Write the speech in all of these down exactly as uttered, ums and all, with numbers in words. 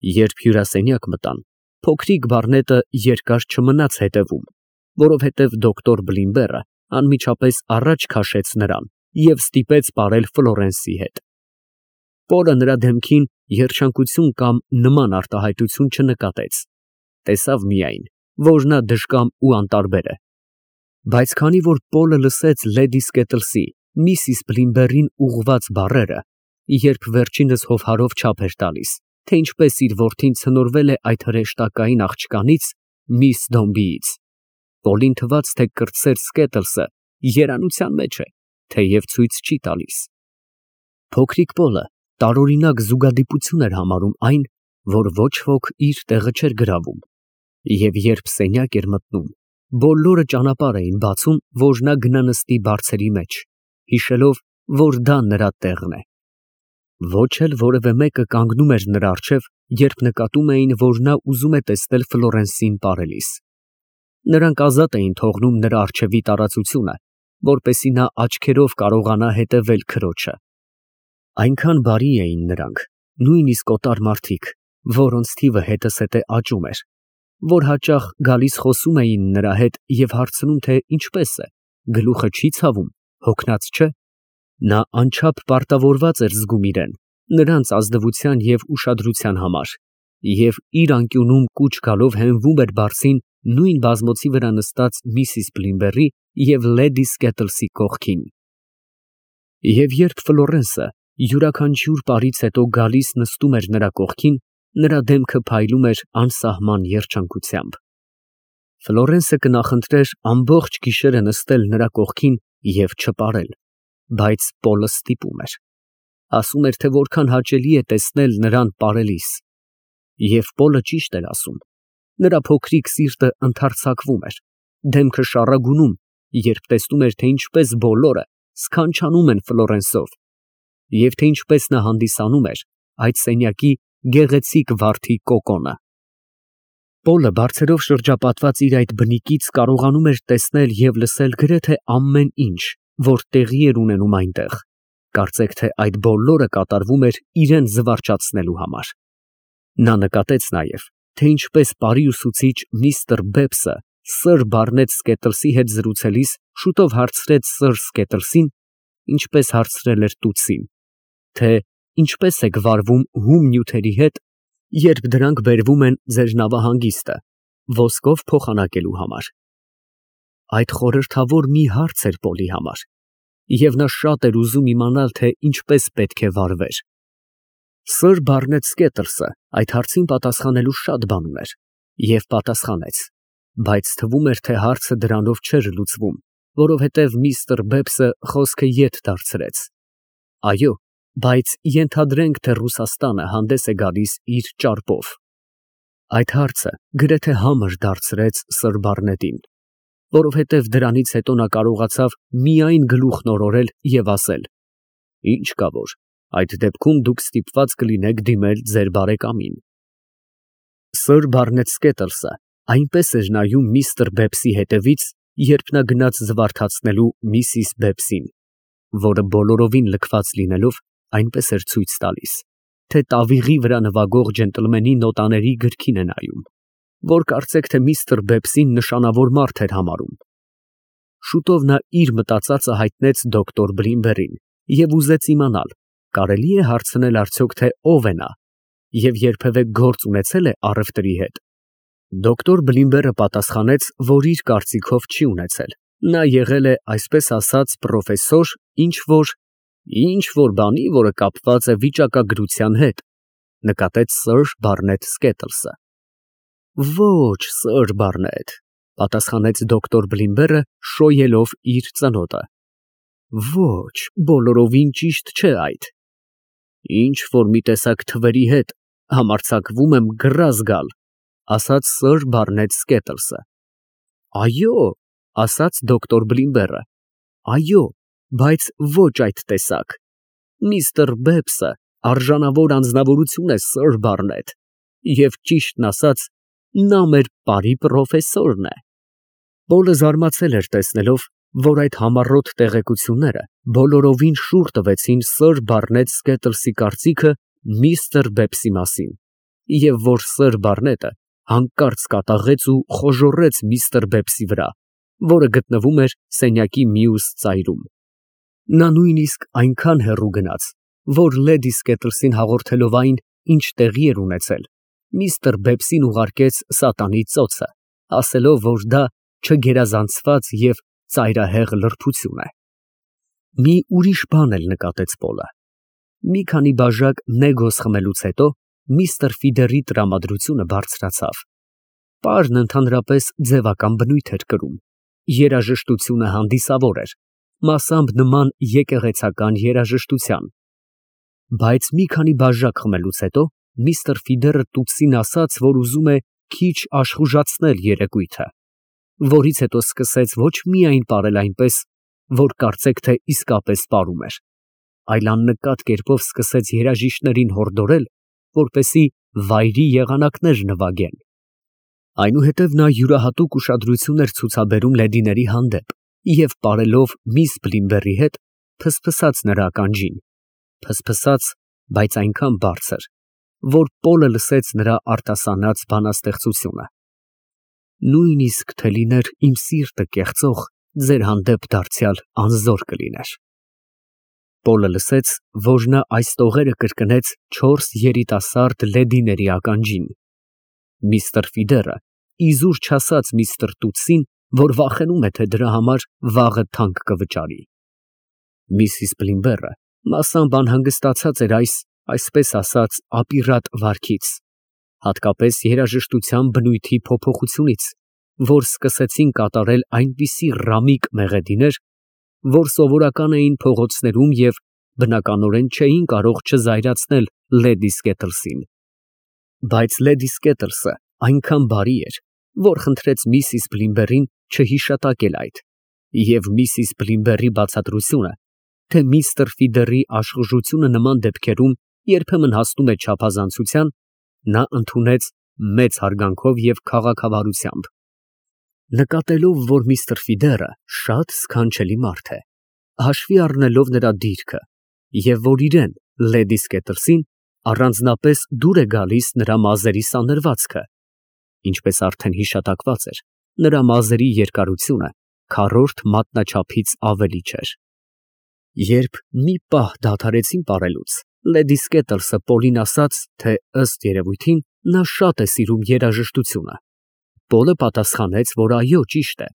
Երբ հյուրասենյակ մտան, փոքրիկ բառնետը երկար չմնաց հետևում, որովհետև դոկտոր Բլինբերը անմիջապես առաջ քաշեց նրան և ստիպեց պարել Ֆլորենսի հետ։ Պոլը նրա դեմքին երջանկություն կամ նման արտահայտություն չնկատեց, տեսավ միայն, որ նա դժկամ ու անտարբեր է։ Բայց քանի որ Պոլը լսեց լեդի Սկետլսի միսիս Բլինբերին ուղղված բառերը, երբ վերջինս հովհարով չափ էր տալիս, թե ինչպես իր որդին ցնորվել է այդ հրեշտակային աղջկանից, միս Դոմբիից, Պոլին թվաց, թե կրտսեր Սկետլսը երանության մեջ է, թեև ցույց չի տալիս։ Փոքրիկ Պոլը տարօրինակ զուգադիպություն էր համարում այն, որ ոչ ոք իր տեղը չէր գրավում, և երբ սենյակ էր մտնում, բոլորը ճանապարհ էին բացում, որ նա գնա նստի բարձերի մեջ, հիշելով, որ դա նրա տեղն է։ Ոչ էլ որևէ մեկը կանգնում էր նրա առջև, երբ նկատում էին, որ նա ուզում է տեսնել Ֆլորենսին պարելիս։ Նրանք ազատ էին թողնում նրա առջևի տարածությունը, որպեսզի նա աչքերով կարողանա հետևել քրոջը։ Այնքան բարի էին նրանք, նույնիսկ օտար մարդիկ, որոնց թիվը հետզհետե աճում էր, որ հաճախ գալիս խոսում էին նրա հետ և հարցնում, թե ինչպես է, գլուխը չի ցավում, հոգնած չէ։ Նա անչափ պարտավորված էր զգում իրեն, նրանց ազնվության և ուշադրության համար, և իր անկյունում կուչ գալով հենվում էր բարձին նույն բազմոցի վրա նստած միսիս Բլինբերի և լեդի Սկետլսի կողքին։ Եվ երբ Ֆլորենսը յուրաքանչյուր պարից հետո գալիս նստում էր նրա կողքին, նրա դեմքը փայլում էր անսահման երջանկությամբ։ Ֆլորենսը կնախընտրեր ամբողջ գիշերը նստել նրա կողքին և չպարել, բայց Պոլը ստիպում էր, ասում էր, թե որքան հաճելի է տեսնել նրան պարելիս։ Եվ Պոլը ճիշտ էր ասում, նրա փոքրիկ սիրտը ընդարձակվում էր, դեմքը շառագունում, երբ տեսնում էր, թե ինչպես բոլորը սքանչանում են Ֆլորենսով, և թե ինչպես նա հանդիսանում էր այդ սենյակի գեղեցիկ վարդի կոկոնը։ Պոլը բարձրով շրջապատված իր այդ բնիկից կարողանում էր տեսնել և լսել գրեթե ամեն ինչ, որ տեղի էր ունենում այնտեղ, կարծեք թե այդ բոլորը կատարվում էր իրան զվարճացնելու համար։ Նա նկատեց նաև, թե ինչպես պարի ուսուցիչ միստր Բեբսը սըր Բարնետ Սկետլսի հետ զրուցելիս շուտով հարցրեց սըր Սկետլսին, ինչպես հարցրել էր տուտսին, թե ինչպես եք վարվում հում նյութերի հետ, երբ դրանք բերվում են ձեր նավահանգիստը ոսկով փոխանակելու համար։ Այդ խորհրդավոր մի հարց էր Պոլի համար, և նա շատ էր ուզում իմանալ, թե ինչպես պետք է վարվեր։ Սըր Բարնետ Սկետլսը այդ հարցին պատասխանելու շատ բան ուներ, և պատասխանեց, բայց թվում էր, թե հարցը դրանով չէր լուծվում, որովհետև միստր Բեբսը խոսքը ետ դարձրեց. Այո, բայց ենթադրենք, թե Ռուսաստանը հանդես է գալիս իր ճարպով։ Այդ հարցը գրեթե համր դարձրեց սըր Բարնետին, որովհետև դրանից հետո նա կարողացավ միայն գլուխն օրորել և ասել. Ինչ կա որ, այդ դեպքում դուք ստիպված կլինեք դիմել ձեր բարեկամին։ Սըր Բարնետ Սկետլսը այնպես էր նայում միստր Բեբսի հետևից, երբ նա գնաց զվարթացնելու միսիս Բեբսին, որը բոլորովին լքված լինելով, այնպես էր ցույց տալիս, թե տավիղի վրա նվագող ջենտլմենի նոտաների գրքին է նայում, որ կարծեք թե միստր Բեբսին նշանավոր մարդ էր համարում։ Շուտով նա իր մտածածը հայտնեց դոկտոր Բլինբերին և ուզեց իմանալ, կարելի է հարցնել արդյոք, թե ով է նա և երբևէ գործ ունեցել է առևտրի հետ։ Դոկտոր Բլինբերը պատասխանեց, որ իր կարծիքով չի ունեցել, նա եղել է, այսպես ասած, պրոֆեսոր ինչ-որ ինչ-որ բանի, որը կապված է վիճակագրության հետ, նկատեց սըր Բարնետ Սկետլսը։ Ոչ, սըր Բարնետ, պատասխանեց դոկտոր Բլինբերը, շոյելով իր ծնոտը։ Ոչ, բոլորովին ճիշտ չէ այդ։ Ինչ-որ մի տեսակ թվերի հետ համարձակվում եմ գրազ գալ, ասաց սըր Բարնետ Սկետլսը։ Այո, ասաց դոկտոր Բլինբերը, այո, բայց ոչ այդ տեսակ։ Միստր Բեբսը արժանավոր անձնավորություն է, սըր Բարնետ, և ճիշտն ասած, նա մեր պարի պրոֆեսորն է։ Պոլը զարմացել էր տեսնելով, որ այդ համառոտ տեղեկությունները բոլորովին շուռ տվեցին սըր Բարնետ Սկետլսի կարծիքը միստր Բեբսի մասին, և որ Սըր Բարնետը հանկարծ կատաղեց ու խոժոռեց միստր Բեբսի վրա, որը գտնվում էր սենյակի մյուս ծայրում։ Նա նույնիսկ այնքան հեռու գնաց, որ լեդի Սկետլսին հաղորդելով այն, ինչ տեղի էր ունեցել, միստր Բեբսին ուղարկեց սատանի ծոցը, ասելով, որ դա չգերազանցված և ծայրահեղ լրբություն է։ Մի ուրիշ բան էլ նկատեց Պոլը. մի քանի բաժակ նեգոս խմելուց հետո միստր Ֆիդերի տրամադրությունը բարձրացավ։ Պարն ընդհանրապես ձևական բնույթ էր կրում, երաժշտությունը հանդիսավոր էր, մասամբ նման եկեղեցական երաժշտության։ Բայց մի քանի բաժակ խմելուց հետո միստր Ֆիդերը տուտսին ասաց, որ ուզում է քիչ աշխուժացնել երեկույթը, որից հետո սկսեց ոչ միայն պարել այնպես, որ կարծեք թե իսկապես պարում էր, այլ աննկատ կերպով սկսեց երաժիշտներին հորդորել, որպեսզի վայրի եղանակներ նվագեն։ Այնուհետև նա յուրահատուկ ուշադրություն էր ցուցաբերում լեդիների հանդեպ և պարելով միս Բլիմբերի հետ, ֆսֆսաց նրա ականջին, ֆսֆսաց, բայց այնքան բարձր, որ Պոլը լսեց նրա արտասանած բանաստեղծությունը. «Նույնիսկ թե լիներ իմ սիրտը կեղծող, ձեր հանդեպ դարձյալ անզոր կլիներ»։ Պոլը լսեց, որ նա այս տողերը կրկնեց չորս երիտասարդ լեդիների ականջին։ Միստր Ֆիդերը իզուր չասաց միստր Տուտսին, որ վախենում է, թե դրա համար վաղը թանկ կվճարի։ Միսիս Բլիմբերը մասամբ անհանգստացած էր այս, այսպես ասած, ապիրատ վարքից, հատկապես երաժշտության բնույթի փոփոխությունից, որ սկսեցին կատարել այնպիսի ռամիկ մեղեդիներ, որ սովորական էին փողոցներում և բնականորեն չէին կարող չզայրացնել լեդի Սկետլսին։ Բայց լեդի Սկետլսը այնքան բարի էր, որ խնդրեց միսիս Բլիմբերին չհիշատակել այդ, և միսիս Բլիմբերի բացատրությունը, թե միստր Ֆիդերի աշխուժությունը նման դեպքերում երբեմն հասնում է չափազանցության, նա ընդունեց մեծ հարգանքով և քաղաքավարությամբ, նկատելով, որ միստր Ֆիդերը շատ սքանչելի մարդ է, հաշվի առնելով նրա դիրքը, և որ իրեն, լեդի Սկետլսին, առանձնապես դուր է գալիս նրա մազերի սանրվածքը, ինչպես արդեն հիշատակված էր, նրա մազերի երկարությունը քառորդ մատնաչափից ավելի չէր։ Երբ մի պահ դադարեցին պարելուց, լեդի Սկետլսը Պոլին ասաց, թե ըստ երևույթին նա շատ է սիրում երաժշտությունը։ Պոլը պատասխանեց, որ այո, ճիշտ է,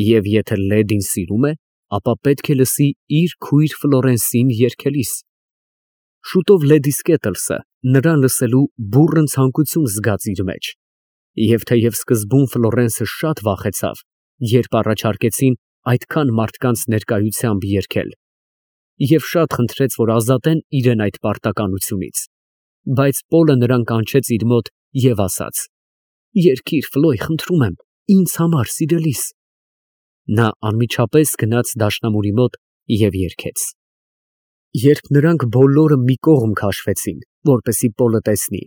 և եթե լեդին սիրում է, ապա պետք է լսի իր քույր Ֆլորենսին երգելիս։ Շուտով լեդի Սկետլսը նրան լսելու բուռն ցանկություն զգաց իր մեջ, և թեև սկզբում Ֆլորենսը շատ վախեցավ, երբ առաջարկեցին այդքան մարդկանց ներկայությամբ երգել, և շատ խնդրեց, որ ազատեն իրեն այդ պարտականությունից, բայց Պոլը նրան կանչեց իր մոտ և ասաց. «Երգիր, Ֆլոյ, խնդրում եմ, ինձ համար, սիրելիս»։ Նա անմիջապես գնաց դաշնամուրի մոտ և երգեց։ Երբ նրանք բոլորը մի կողմ քաշվեցին, որպեսզի Պոլը տեսնի,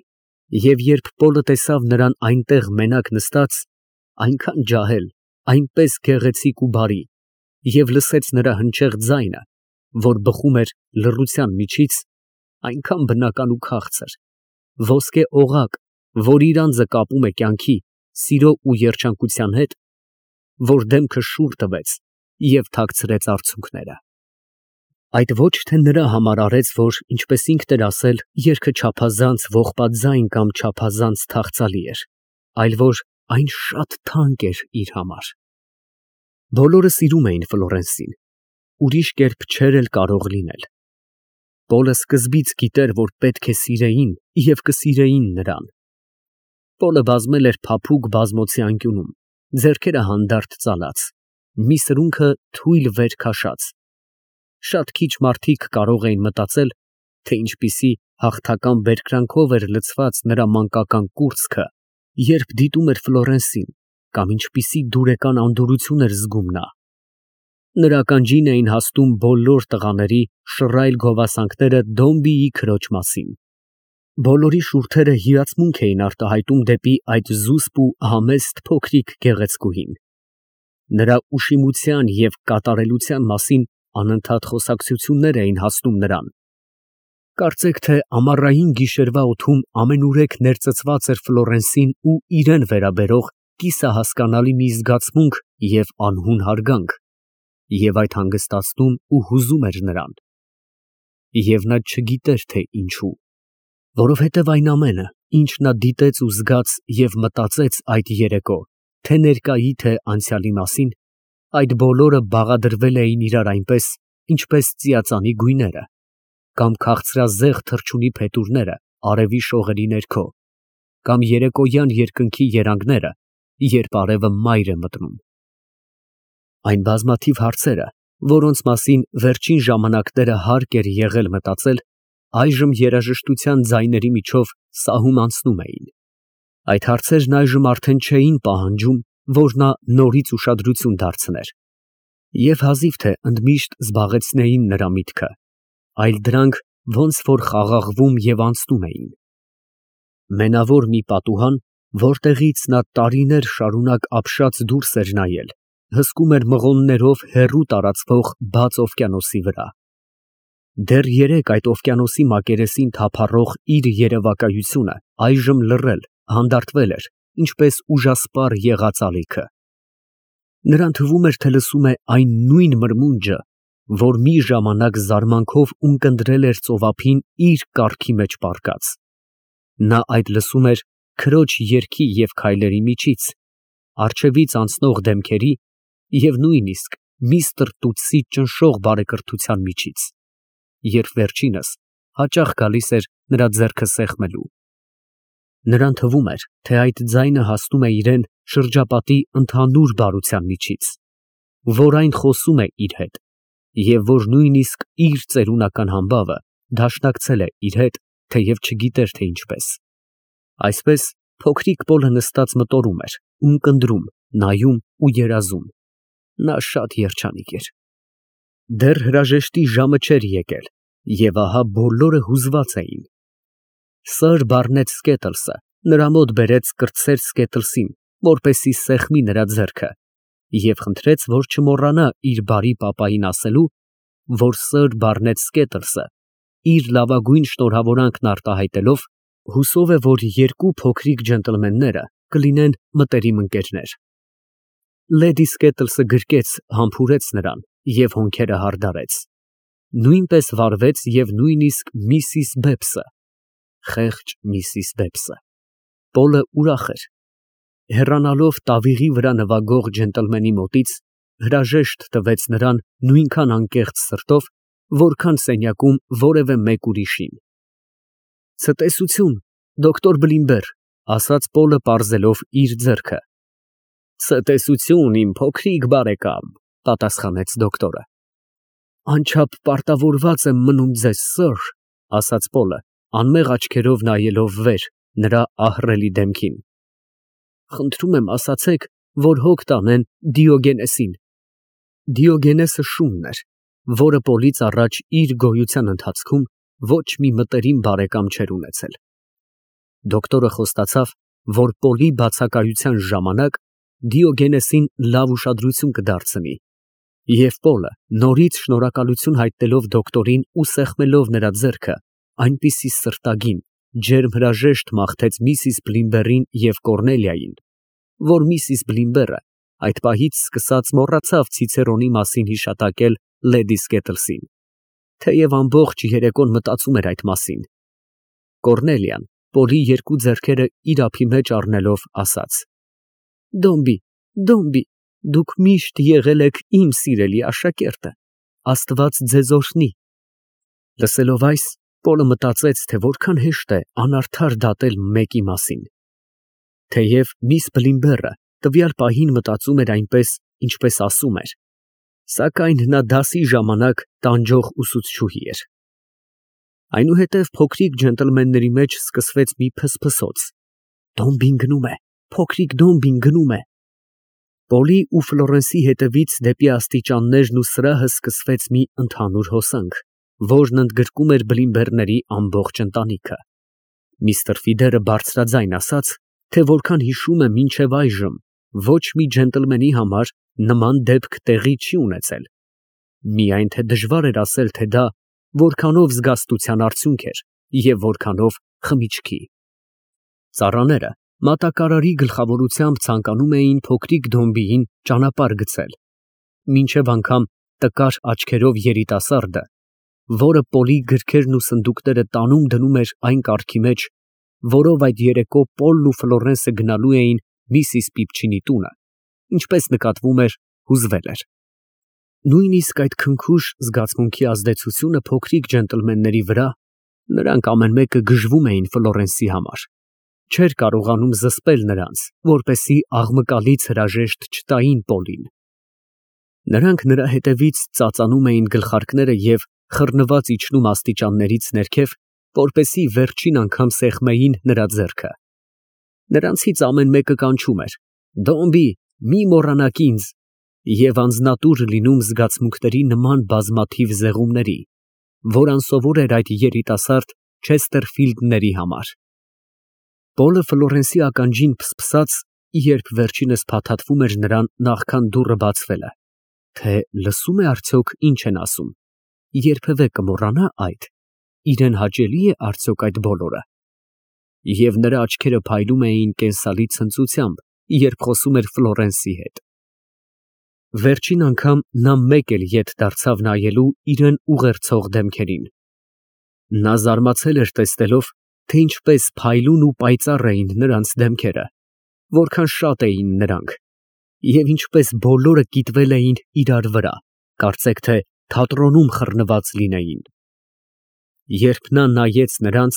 և երբ Պոլը տեսավ նրան այնտեղ մենակ նստած, այնքան ջահել, այնպես գեղեցիկ ու բարի, և լսեց նրա հնչեղ ձայնը, որ բխում էր լռության միջից, այնքան բնական ու քաղցր, ոսկե օղակ, որ իր անձը կապում է կյանքի, սիրո ու երջանկության հետ, որ դեմքը շուռ տվեց և թաքցրեց արցունքները։ Այդ ոչ թե նրա համար արեց, որ, ինչպես ինքն էր ասել, երգը չափազանց ողբաձայն կամ չափազանց թախծալի էր, այլ որ այն շատ թանկ էր իր համար։ Բոլորը սիրում էին Ֆլորենսին, ուրիշ կերպ չէր էլ կարող լինել։ Պոլը սկզբից գիտեր, որ պետք է սիրեին և կսիրեին նրան։ Պոլը բազմել էր փափուկ բազմոցի անկյունում, ձեռքերը հանդարտ ծալած, մի սրունքը թույլ վեր քաշած։ Շատ քիչ մարդիկ կարող էին մտածել, թե ինչպիսի հաղթական բերկրանքով էր լցված նրա մանկական կուրծքը, երբ դիտում էր Ֆլորենսին, կամ ինչպիսի դուրեկան անդորրություն էր զգում նա։ Նրա ականջին էին հասնում բոլոր տղաների շռայլ գովասանքները Դոմբիի քրոջ մասին։ Բոլորի շուրթերը հիացմունք էին արտահայտում դեպի այդ զուսպ ու համեստ փոքրիկ գեղեցկուհին։ Նրա ուշիմության և կատարելության մասին անընդհատ խոսակցություններ էին հասնում նրան։ Կարծեք թե ամառային գիշերվա օդում ամենուրեք ներծծված էր Ֆլորենսին ու իրան վերաբերող կիսահասկանալի մի զգացմունք և անհուն հարգանք, և այդ հանգստացնում ու հուզում էր նրան։ Եվ նա չգիտեր, թե ինչու, որովհետև այն ամենը, ինչ նա դիտեց ու զգաց և մտածեց այդ երեկո, թե ներկայի, թե անցյալի մասին, այդ բոլորը բաղադրվել էին իրար այնպես, ինչպես ծիածանի գույները, կամ քաղցրազեղ թռչունի փետուրները արևի շողերի ներքո, կամ երեկոյան երկնքի երանգները, երբ արևը մայր է մտնում։ Այն բազմաթիվ հարցերը, որոնց մասին վերջին ժամանակները հարկ էր եղել մտածել, այժմ երաժշտության ձայների միջով սահում անցնում էին։ Այդ հարցերն այժմ արդեն չէին պահանջում, որ նա նորից ուշադրություն դարձներ, և հազիվ թե ընդմիշտ զբաղեցնեին նրա միտքը, այլ դրանք ոնց որ խաղաղվում և անցնում էին։ Մենավոր մի պատուհան, որտեղից նա տարիներ շարունակ ապշած դուրս էր նայել, հսկում էր մղոններով հեռու տարածվող բաց օվկիանոսի վրա։ Դեռ երեկ այդ օվկիանոսի մակերեսին թափառող իր երևակայությունը այժմ լռել, հանդարտվել էր, ինչպես ուժասպառ եղած ալիքը։ Նրան թվում էր, թե լսում է այն նույն մրմունջը, որ մի ժամանակ զարմանքով ունկնդրել էր ծովափին իր կառքի մեջ պառկած։ Նա այդ լսում էր քրոջ երգի և քայլերի միջից, առջևից անցնող դեմքերի և նույնիսկ միստր Տուտսի ճնշող բարեկրթության միջից, երբ վերջինս հաճախ գալիս էր նրա ձեռքը սեղմելու։ Նրան թվում էր, թե այդ ձայնը հասնում է իրան շրջապատի ընդհանուր բարության միջից, որ այն խոսում է իր հետ, և որ նույնիսկ իր ծերունական համբավը դաշնակցել է իր հետ, թեև չգիտեր, թե ինչպես։ Այսպես փոքրիկ Պոլը նստած մտորում էր, ունկնդրում, նայում ու երազում։ Նա շատ երջանիկ էր։ Դեռ հրաժեշտի ժամը չէր եկել, և ահա բոլորը հուզված էին։ Սըր Բարնեթ Սքեթլսը նրա մոտ բերեց կրտսեր Սքեթլսին, որպեսզի սեղմի նրա ձեռքը, և խնդրեց, որ չմոռանա իր բարի պապային ասելու, որ սըր Բարնեթ Սքեթլսը, իր լավագույն շնորհավորանքն արտահայտելով, հուսով է, որ երկու փոքրիկ ջենտլմենները կլինեն մտերիմ ընկերներ։ Լեդի Սքեթլսը գրկեց, համբուրեց նրան և հոնքերը հարդարեց։ Նույնպես վարվեց և նույնիսկ միսիս Բեբսը, խեղճ միսիս Բեբսը։ Պոլը ուրախ էր։ Հեռանալով տավիղի վրա նվագող ջենտլմենի մոտից, հրաժեշտ տվեց նրան նույնքան անկեղծ սրտով, որքան սենյակում որևէ մեկ ուրիշին։ Ցտեսություն, դոկտոր Բլիմբեր, ասաց Պոլը պարզելով իր ձեռքը։ Ցտեսություն, իմ փոքրիկ բարեկամ, պատասխանեց դոկտորը։ Անչափ պարտավորված եմ մնում ձեզ, սըր, ասաց Պոլը, անմեղ աչքերով նայելով վեր, նրա ահռելի դեմքին։ Խնդրում եմ, ասացեք, որ հոգ տանեն Դիոգենեսին։ Դիոգենեսը շունն էր, որը Պոլից առաջ իր գոյության ընթացքում ոչ մի մտերիմ բարեկամ չէր ունեցել։ Դոկտորը խոստացավ, որ Պոլի բացակայության ժամանակ Դիոգենեսին լավ ուշադրություն կդարձնի, և Պոլը, նորից շնորհակալություն հայտնելով դոկտորին ու սեղմելով նրա ձեռքը, այնպիսի սրտագին, ջերմ հրաժեշտ մաղթեց միսիս Բլիմբերին և Կոռնելիային, որ միսիս Բլիմբերը այդ պահից սկսած մոռացավ Ցիցերոնի մասին հիշատակել լեդի Սքեթլսին, թեև ամբողջ երեկոն մտածում էր այդ մասին։ Կոռնելիան, Պոլի երկու ձեռքերը իր ափի մեջ առնելով, ասաց. Դոմբի, Դոմբի, դուք միշտ եղել եք իմ սիրելի աշակերտը, Աստված ձեզ օրհնի։ Լսելով այս, Պոլը մտածեց, թե որքան հեշտ է անարդար դատել մեկի մասին։ Թեև միս Բլիմբերը տվյալ պահին մտածում էր այնպես, ինչպես ասում էր, սակայն նա դասի ժամանակ տանջող ուսուցչուհի էր։ Այնուհետև փոքրիկ ջենտլմենների մեջ սկսվեց մի փսփսոց. Դոմբին գնում է, փոքրիկ Դոմբին գնում է։ Պոլի ու Ֆլորենսի հետևից դեպի աստիճաններն ու սրահը սկսվեց մի ընդհանուր հոսանք, որն ընդգրկում էր Բլիմբերների ամբողջ ընտանիքը։ Միստր Ֆիդերը բարձրաձայն ասաց, թե որքան հիշում է մինչև այժմ, ոչ մի ջենտլմենի համար նման դեպք տեղի չի ունեցել։ Միայն թե դժվար էր ասել, թե դա որքանով զգաստության արդյունք էր և որքանով խմիչքի։ Ծառաները մատակարարի գլխավորությամբ ցանկանում էին փոքրիկ Դոմբիին ճանապարհ գցել, մինչև անգամ տկար աչքերով երիտասարդը, որը Պոլի գրքերն ու սնդուկները տանում դնում էր այն կառքի մեջ, որով այդ երեկո Պոլն ու Ֆլորենսը գնալու էին միսիս Պիպչինի տունը, ինչպես նկատվում էր, հուզվել էր։ Նույնիսկ այդ քնքուշ զգացմունքի ազդեցությունը փոքրիկ ջենտլմենների վրա, նրանք ամեն մեկը գժվում էին Ֆլորենսի համար, չէր կարողանում զսպել նրանց, որպեսզի աղմկալից հրաժեշտ չտային Պոլին։ Նրանք նրա հետևից ծածանում էին գլխարկները և խռնված իջնում աստիճաններից ներքև, որպեսզի վերջին անգամ սեղմեին նրա ձեռքը։ Նրանցից ամեն մեկը կանչում էր. «Դոմբի, մի մոռանաք ինձ» և անձնատուր լինում զգացմունքների նման բազմաթիվ զեղումների, որ անսովոր էր այդ երիտասարդ Չեսթերֆիլդների համար։ Պոլը Ֆլորենսի ականջին փսփսաց, երբ վերջինս փաթաթվում էր նրան նախքան դուռը բացվելը, թե լսո՞ւմ է արդյոք ինչ են ասում, երբևէ կմոռանա այդ, իրան հաճելի է արդյոք այդ բոլորը։ Եվ նրա աչքերը փայլում էին կենսալի ցնծությամբ, երբ խոսում էր Ֆլորենսի հետ։ Վերջին անգամ նա մեկ էլ ետ դարձավ նայելու իրան ուղերձող դեմքերին։ Նա զարմացել էր տեսնելով, թե ինչպես փայլուն ու պայծառ էին նրանց դեմքերը, որքան շատ էին նրանք, և ինչպես բոլորը կիտվել էին իրար վրա, կարծեք թե թատրոնում խռնված լինեին։ Երբ նա նայեց նրանց,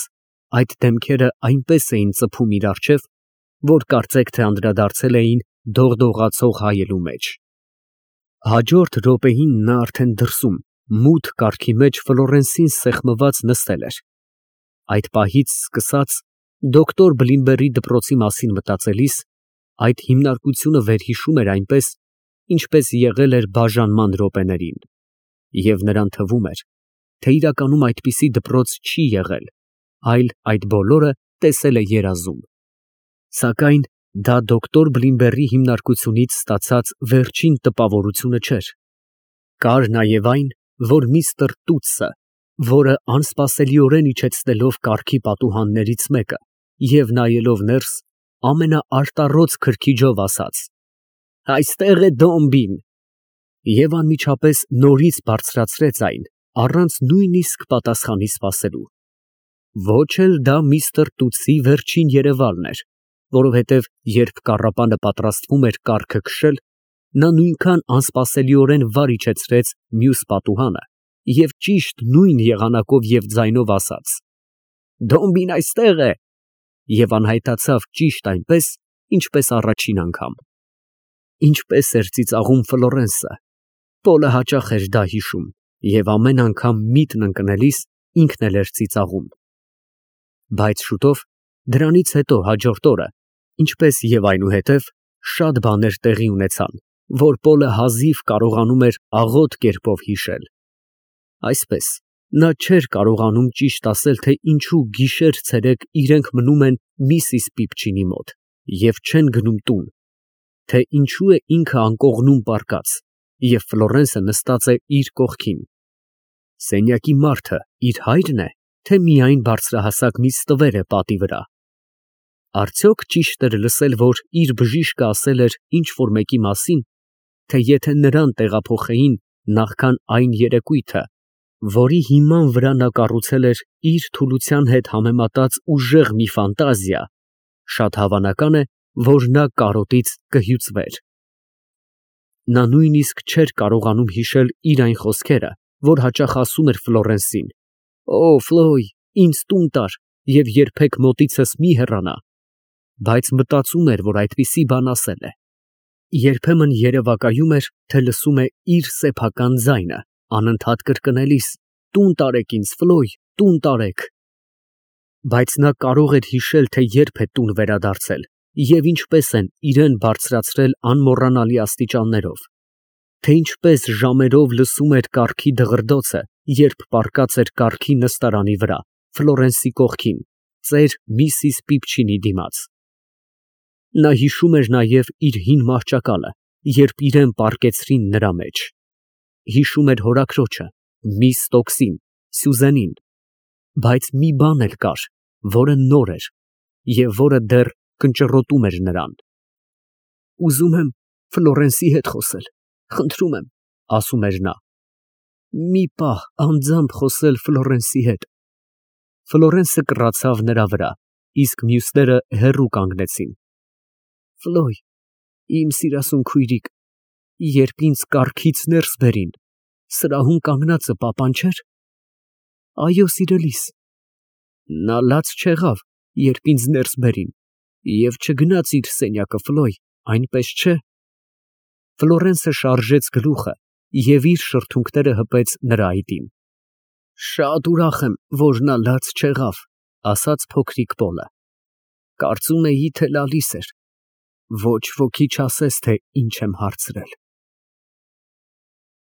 այդ դեմքերը այնպես էին ծփում իր առջև, որ կարծեք թե անդրադարձել էին դողդողացող հայելու մեջ։ Հաջորդ րոպեին նա արդեն դրսում, մութ կառքի մեջ Ֆլորենսին սեղմված նստել էր։ Այդ պահից սկսած, դոկտոր Բլիմբերի դպրոցի մասին մտածելիս, այդ հիմնարկությունը վերհիշում էր այնպես, ինչպես եղել էր բաժանման րոպեներին, և նրան թվում էր, թե իրականում այդպիսի դպրոց չի եղել, այլ այդ բոլորը տեսել է երազում։ Սակայն դա դոկտոր Բլիմբերի հիմնարկությունից ստացած վերջին տպավորությունը չէր։ Կար նաև այն, որ միստր Տուտսը, որը անսպասելիորեն իջեցնելով կառքի պատուհաններից մեկը և նայելով ներս, ամենաարտառոց քրքիջով ասաց. «Այստեղ է Դոմբին», և անմիջապես նորից բարձրացրեց այն, առանց նույնիսկ պատասխանի սպասելու։ Ոչ էլ դա միստր Տուտսի վերջին երևալն էր, որովհետև երբ կառապանը պատրաստվում էր կառքը քշել, նա նույնքան անսպասելիորեն վար իջեցրեց մյուս պատուհանը և ճիշտ նույն եղանակով և ձայնով ասաց. «Դոմբին այստեղ է» և անհայտացավ ճիշտ այնպես, ինչպես առաջին անգամ։ Ինչպես էր ծիծաղում Ֆլորենսը, Պոլը հաճախ էր դա հիշում և ամեն անգամ միտն ընկնելիս ինքն էլ էր ծիծաղում։ Բայց շուտով, դրանից հետո հաջորդ օրը, ինչպես և այնուհետև, շատ բաներ տեղի ունեցան, որ Պոլը հազիվ կարողանում էր աղոտ կերպով հիշել։ Այսպես, նա չէր կարողանում ճիշտ ասել, թե ինչու գիշեր֊ցերեկ իրենք մնում են միսիս Պիպչինի մոտ և չեն գնում տուն, թե ինչու է ինքը անկողնում պառկած, և Ֆլորենսը նստած է իր կողքին։ Սենյակի մարդը իր հա՞յրն է, թե միայն բարձրահասակ մի ստվեր է պատի վրա։ Արդյոք ճիշտ էր լսել, որ իր բժիշկը ասել էր ինչ֊որ մեկի մասին, թե եթե նրան տեղափոխեին նախքան այն երեկույթը, որի հիման վրա նա կառուցել էր իր թուլության հետ համեմատած ուժեղ մի ֆանտազիա, շատ հավանական է, որ նա կարոտից կհյուծվեր։ Նա նույնիսկ չէր կարողանում հիշել իր այն խոսքերը, որ հաճախ ասում էր Ֆլորենսին. «Օ, Ֆլոյ, ինձ տուն տար և երբեք մոտիցս մի հեռանա», բայց մտածում էր, որ այդպիսի բան ասել է։ Երբեմն երևակայում էր, թե լսում է իր սեփական ձայնը, անընդհատ կրկնելիս. «Տուն տարեք ինձ, Ֆլոյ, տուն տարեք»։ Բայց նա կարող էր հիշել, թե երբ է տուն վերադարձել և ինչպես են իրան բարձրացրել անմոռանալի աստիճաններով, թե ինչպես ժամերով լսում էր կառքի դղրդոցը, երբ պառկած էր կառքի նստարանի վրա, Ֆլորենսի կողքին, ծեր միսիս Պիպչինի դիմաց։ Նա հիշում էր նաև իր հին մահճակալը, երբ իրան պառկեցրին նրա մեջ։ Հիշում էր հորաքրոջը, միս Ստոքսին, Սյուզենին, բայց մի բան էլ կար, որը նոր էր և որը դեռ կնճռոտում էր նրան։ «Ուզում եմ Ֆլորենսի հետ խոսել, խնդրում եմ», ֊ ասում էր նա, «մի պահ անձամբ խոսել Ֆլորենսի հետ»։ Ֆլորենսը կռացավ նրա վրա, իսկ մյուսները հեռու կանգնեցին։ «Ֆլոյ, իմ սիրասուն քույրիկ, երբ ինձ կառքից ներս բերին, սրահում կանգնածը պապան չէ՞ր։ Այո, սիրելիս։ Նա լաց չեղավ, երբ ինձ ներս բերին, և չգնաց իր սենյակը, Ֆլոյ, այնպես չէ՞։ Ֆլորենսը շարժեց գլուխը և իր շրթունքները հպեց նրա այտին։ «Շատ ուրախ եմ, որ նա լաց չեղավ», ֊ ասաց փոքրիկ Պոլը։ «Կարծում էի, թե լալիս էր։ Ոչ ոքի չասես, թե ինչ եմ հարցրել»։